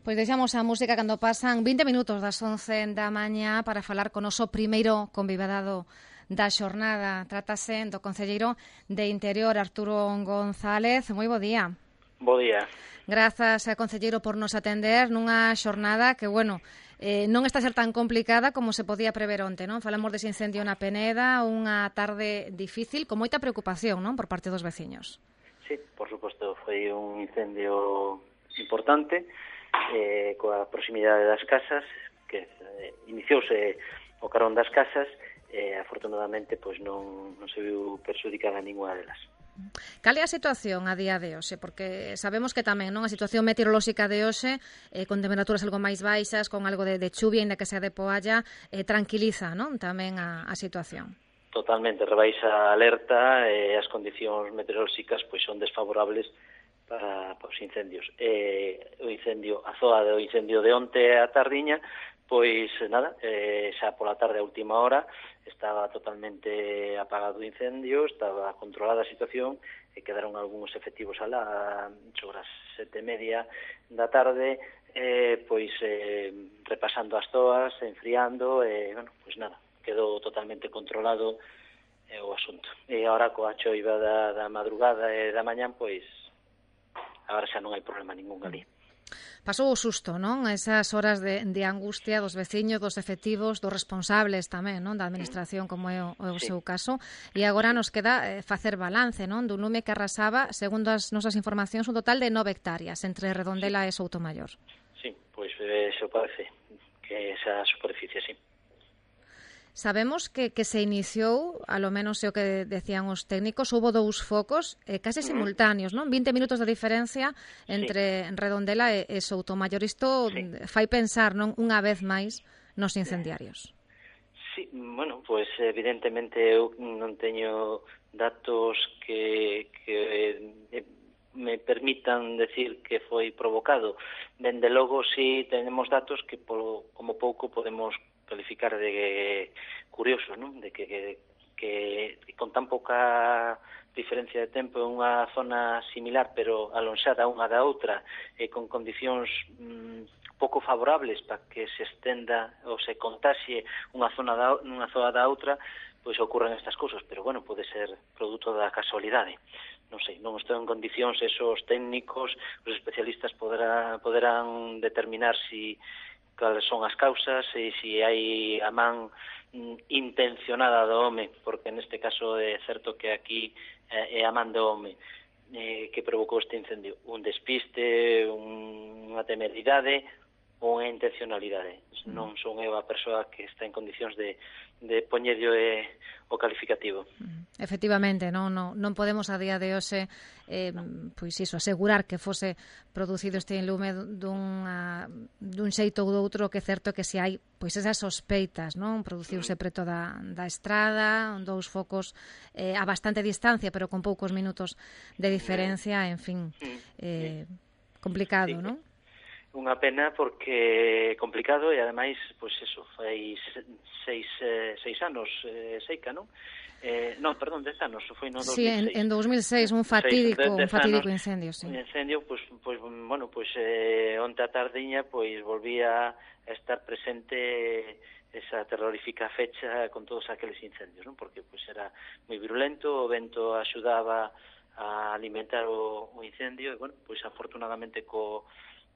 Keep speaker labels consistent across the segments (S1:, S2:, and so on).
S1: Pois deixamos a música cando pasan 20 minutos das 11 da mañá para falar con o noso primeiro convidado da xornada. Trátase do concelleiro de Interior, Arturo González. Moi bo día.
S2: Bo día.
S1: Grazas, concelleiro, por nos atender nunha xornada que, non está a ser tan complicada como se podía prever onte, non? Falamos dese incendio na Peneda, unha tarde difícil, con moita preocupación, non, por parte dos veciños.
S2: Sí, por suposto, foi un incendio importante, coa proximidade das casas, que iniciouse o carón das casas, afortunadamente pois non se viu perxudicada ninguna delas.
S1: Cal é a situación a día de hoxe? Porque sabemos que tamén, non, a situación meteorolóxica de hoxe, con temperaturas algo máis baixas, con algo de chuvia, ainda que sea de poalla, tranquiliza, non, tamén a situación.
S2: Totalmente, rebaixa a alerta, as condicións meteorolóxicas pois son desfavorables para os incendios. A zoa do incendio de onte a tardiña, pois nada, xa pola tarde a última hora estaba totalmente apagado o incendio, estaba controlada a situación e quedaron algúns efectivos alá sobre as 7:30 da tarde, pois repasando as zoas, enfriando, pois nada, quedou totalmente controlado o asunto. E agora coa choiva da madrugada e da mañán, pois agora xa non hai problema ningún ali.
S1: Pasou o susto, non? Esas horas de angustia dos veciños, dos efectivos, dos responsables tamén, non? Da administración, como é o seu caso. E agora nos queda facer balance, non? Dun lume que arrasaba, segundo as nosas informacións, un total de 9 hectáreas entre Redondela e Soutomaior.
S2: Sí, pois eso parece que esa superficie, sí.
S1: Sabemos que se iniciou, alo menos é o que decían os técnicos, houbo 2 focos case simultáneos, non? 20 minutos de diferencia entre Redondela e Soutomaior. Isto fai pensar, non, unha vez máis nos incendiarios.
S2: Sí, bueno, pois evidentemente eu non teño datos que me permitan decir que foi provocado. Dende logo, si tenemos datos que como pouco podemos calificar de curioso, non? De que con tan pouca diferencia de tempo en unha zona similar, pero alonxada unha da outra, e con condicións pouco favorables para que se estenda ou se contaxie unha zona da outra, pois ocorren estas cousas, pero bueno, pode ser produto da casualidade. Non sei, non estou en condicións, esos técnicos, os especialistas poderán determinar cales son as causas e se hai a man intencionada do home, porque neste caso é certo que aquí é a man do home que provocou este incendio. Un despiste, unha temeridade ou unha intencionalidade. Non son eu a persoa que está en condicións de poñerlle o calificativo.
S1: Efectivamente, non podemos a día de hoxe pois iso, asegurar que fose producido este lume dun xeito ou do outro, que é certo que se hai pois esas sospeitas, non? Produciuse preto da estrada, 2 focos a bastante distancia, pero con poucos minutos de diferencia, en fin, complicado, non?
S2: Unha pena porque é complicado e ademais, pois eso, fai 6 anos, seica, non? Non, perdón, 10 anos, foi no 2006.
S1: Sí, en 2006, un fatídico incendio, sí.
S2: Un incendio, pois onte a tardiña, pois volvía a estar presente esa terrorífica fecha con todos aqueles incendios, non? Porque pois era moi virulento, o vento axudaba a alimentar o incendio e, bueno, pois afortunadamente coa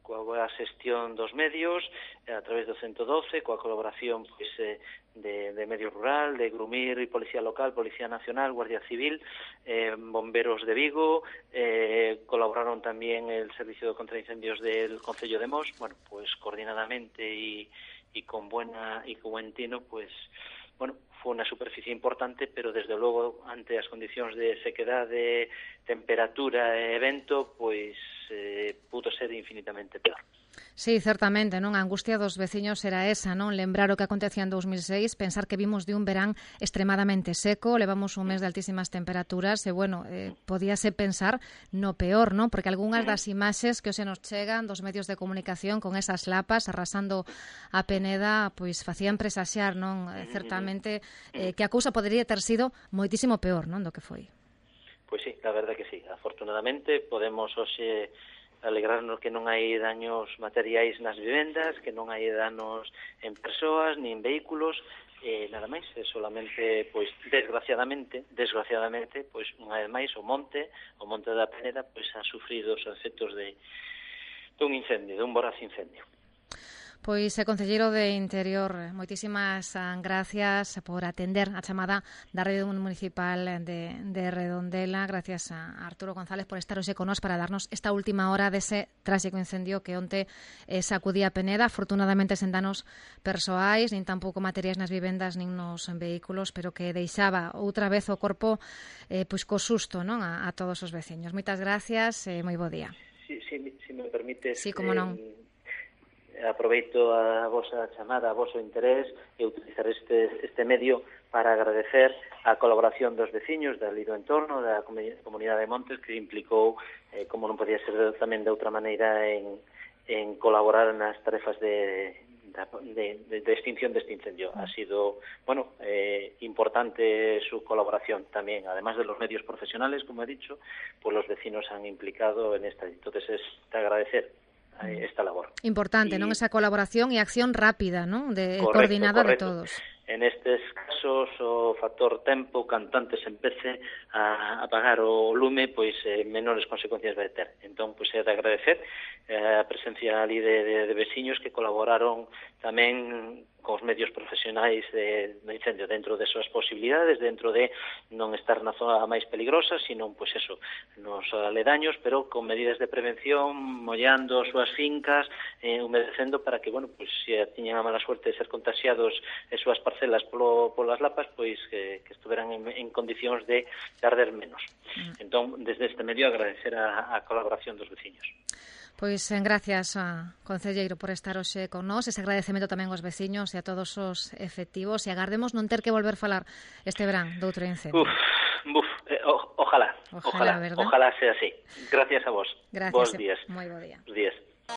S2: boa xestión dos medios, a través do 112, coa colaboración pois de Medio Rural, de Grumir e Policía Local, Policía Nacional, Guardia Civil, bomberos de Vigo, colaboraron tamén el Servicio de Contraincendios del Concello de Mos, bueno, pois coordinadamente e con buen tino, pois bueno, foi unha superficie importante, pero desde logo ante as condicións de sequedade, temperatura e vento, pois pudo ser infinitamente peor.
S1: Sí, certamente, non? A angustia dos veciños era esa, non? Lembrar o que acontecía en 2006, pensar que vimos de un verán extremadamente seco, levamos un mes de altísimas temperaturas e, bueno, podíase pensar no peor, non? Porque algunhas das imaxes que hoxe nos chegan dos medios de comunicación con esas lapas arrasando a Peneda, pois facían presaxar, non? Certamente que a cousa podería ter sido moitísimo peor, non? Do que foi.
S2: Pois sí, la verdad que sí. Afortunadamente podemos hoxe alegrarnos que non hai daños materiais nas vivendas, que non hai danos en persoas, nin en vehículos, nada máis, solamente, pois, desgraciadamente, pois, unha vez máis, o monte da Peneda, pois, ha sufrido os efectos dun incendio, dun voraz incendio.
S1: Pois, concelleiro de Interior, moitísimas gracias por atender a chamada da Rede Municipal de Redondela. Gracias a Arturo González por estar hoxe con nós para darnos esta última hora dese tráxico incendio que onte sacudía Peneda. Afortunadamente sen danos persoais, nin tampouco materiais nas vivendas nin nos vehículos, pero que deixaba outra vez o corpo pois co susto, non, a todos os veciños. Moitas gracias e moi bo día.
S2: Si me permites...
S1: Sí, como non.
S2: Aproveito a vosa chamada, a voso interés e utilizar este medio para agradecer a colaboración dos veciños dali do entorno, da comunidade de Montes, que implicou, como non podía ser tamén de outra maneira, en colaborar nas tarefas de extinción deste incendio. Ha sido, importante su colaboración tamén, además de los medios profesionales, como he dicho, pues los vecinos han implicado en esta. Entonces es de agradecer esta labor.
S1: Importante, non? Esa colaboración e acción rápida, non? Coordinada de todos.
S2: En estes casos, o factor tempo, cantante se empece a apagar o lume, pois menores consecuencias vai ter. Entón, pois é de agradecer a presencia ali de veciños que colaboraron tamén cos medios profesionais do incendio dentro de súas posibilidades, dentro de non estar na zona máis peligrosa, sino, pois eso, nos aledaños, pero con medidas de prevención, mollando as súas fincas, humedecendo para que, pois se tiñan a mala suerte de ser contagiados as súas parcelas polas lapas, pois que estuveran en condicións de arder menos. Entón, desde este medio, agradecer a colaboración dos veciños.
S1: Pois gracias, concelleiro, por estar hoxe con nós. Ese agradecemento tamén aos veciños e a todos os efectivos. E agardemos non ter que volver falar este verán doutro incendio.
S2: Ojalá sea así. Gracias a vos.
S1: Gracias.
S2: Bos días.
S1: Moi bo día.
S2: Bos días.